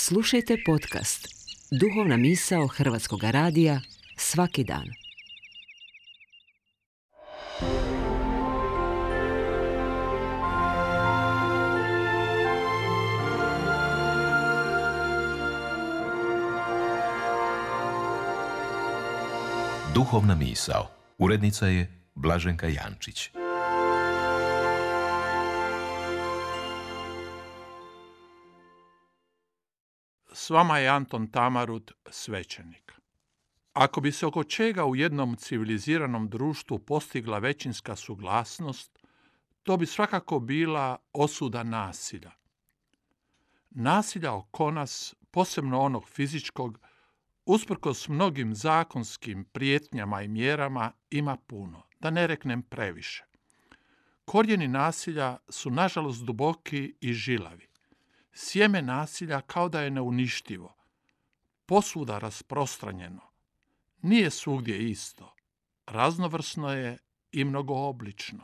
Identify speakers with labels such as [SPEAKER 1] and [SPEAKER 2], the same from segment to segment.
[SPEAKER 1] Slušajte podcast Duhovna misao Hrvatskog radija svaki dan.
[SPEAKER 2] Duhovna misao. Urednica je Blaženka Jančić.
[SPEAKER 3] S vama je Anton Tamarut, svećenik. Ako bi se oko čega u jednom civiliziranom društvu postigla većinska suglasnost, to bi svakako bila osuda nasilja. Nasilja oko nas, posebno onog fizičkog, usprkos mnogim zakonskim prijetnjama i mjerama, ima puno, da ne reknem previše. Korijeni nasilja su nažalost duboki i žilavi. Sjeme nasilja kao da je neuništivo, posvuda rasprostranjeno. Nije svugdje isto, raznovrsno je i mnogooblično.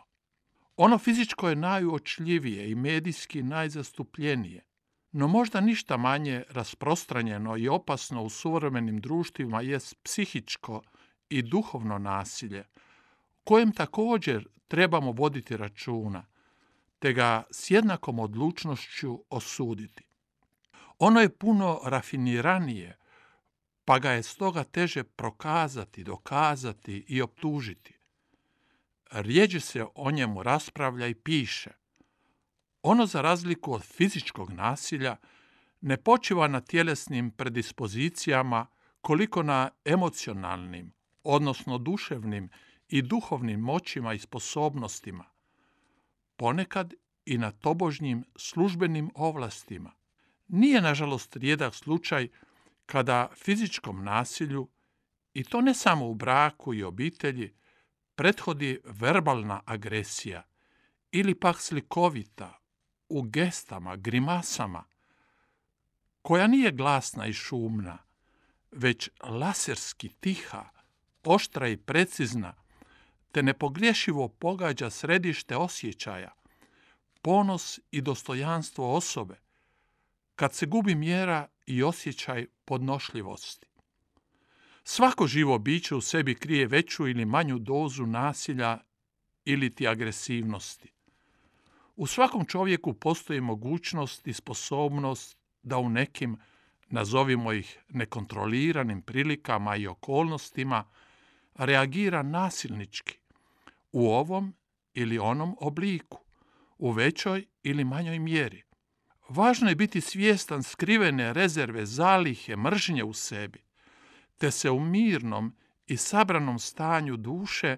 [SPEAKER 3] Ono fizičko je najuočljivije i medijski najzastupljenije, no možda ništa manje rasprostranjeno i opasno u suvremenim društvima jest psihičko i duhovno nasilje, kojem također trebamo voditi računa, te ga s jednakom odlučnošću osuditi. Ono je puno rafiniranije, pa ga je stoga teže prokazati, dokazati i optužiti. Rjeđe se o njemu raspravlja i piše. Ono, za razliku od fizičkog nasilja, ne počiva na tjelesnim predispozicijama koliko na emocionalnim, odnosno duševnim i duhovnim moćima i sposobnostima, ponekad i na tobožnjim službenim ovlastima. Nije, nažalost, rijedak slučaj kada fizičkom nasilju, i to ne samo u braku i obitelji, prethodi verbalna agresija ili pak slikovita, u gestama, grimasama, koja nije glasna i šumna, već laserski tiha, oštra i precizna, te nepogriješivo pogađa središte osjećaja, ponos i dostojanstvo osobe, kad se gubi mjera i osjećaj podnošljivosti. Svako živo biće u sebi krije veću ili manju dozu nasilja ili ti agresivnosti. U svakom čovjeku postoji mogućnost i sposobnost da u nekim, nazovimo ih nekontroliranim prilikama i okolnostima, reagira nasilnički, u ovom ili onom obliku, u većoj ili manjoj mjeri. Važno je biti svjestan skrivene rezerve zalihe mržnje u sebi, te se u mirnom i sabranom stanju duše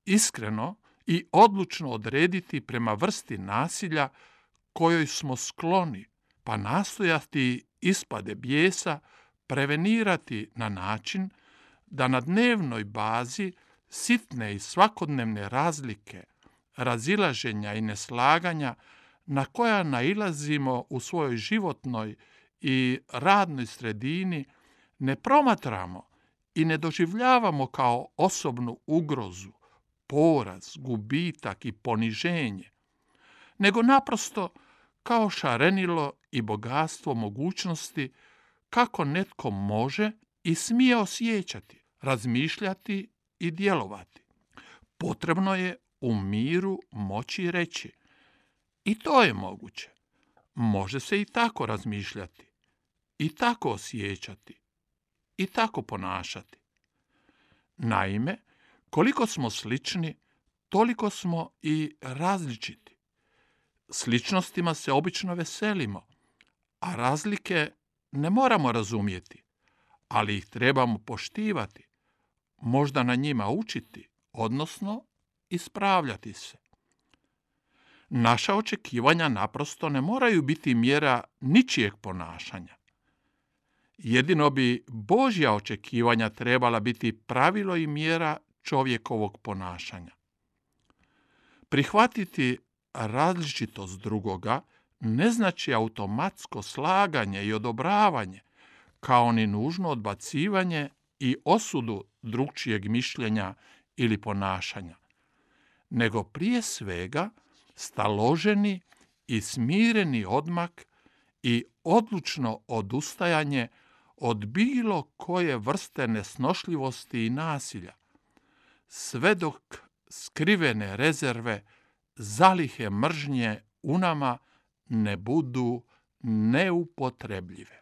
[SPEAKER 3] iskreno i odlučno odrediti prema vrsti nasilja kojoj smo skloni, pa nastojati ispade bijesa prevenirati na način da na dnevnoj bazi sitne i svakodnevne razlike, razilaženja i neslaganja na koja nailazimo u svojoj životnoj i radnoj sredini ne promatramo i ne doživljavamo kao osobnu ugrozu, poraz, gubitak i poniženje, nego naprosto kao šarenilo i bogatstvo mogućnosti kako netko može i smije osjećati, razmišljati i djelovati. Potrebno je u miru moći reći: i to je moguće. Može se i tako razmišljati, i tako osjećati, i tako ponašati. Naime, koliko smo slični, toliko smo i različiti. Sličnostima se obično veselimo, a razlike ne moramo razumjeti, ali ih trebamo poštivati, možda na njima učiti, odnosno ispravljati se. Naša očekivanja naprosto ne moraju biti mjera ničijeg ponašanja. Jedino bi Božja očekivanja trebala biti pravilo i mjera čovjekovog ponašanja. Prihvatiti različitost drugoga ne znači automatsko slaganje i odobravanje, kao ni nužno odbacivanje i osudu drukčijeg mišljenja ili ponašanja, nego prije svega staloženi i smireni odmak i odlučno odustajanje od bilo koje vrste nesnošljivosti i nasilja, sve dok skrivene rezerve, zalihe mržnje u nama ne budu neupotrebljive.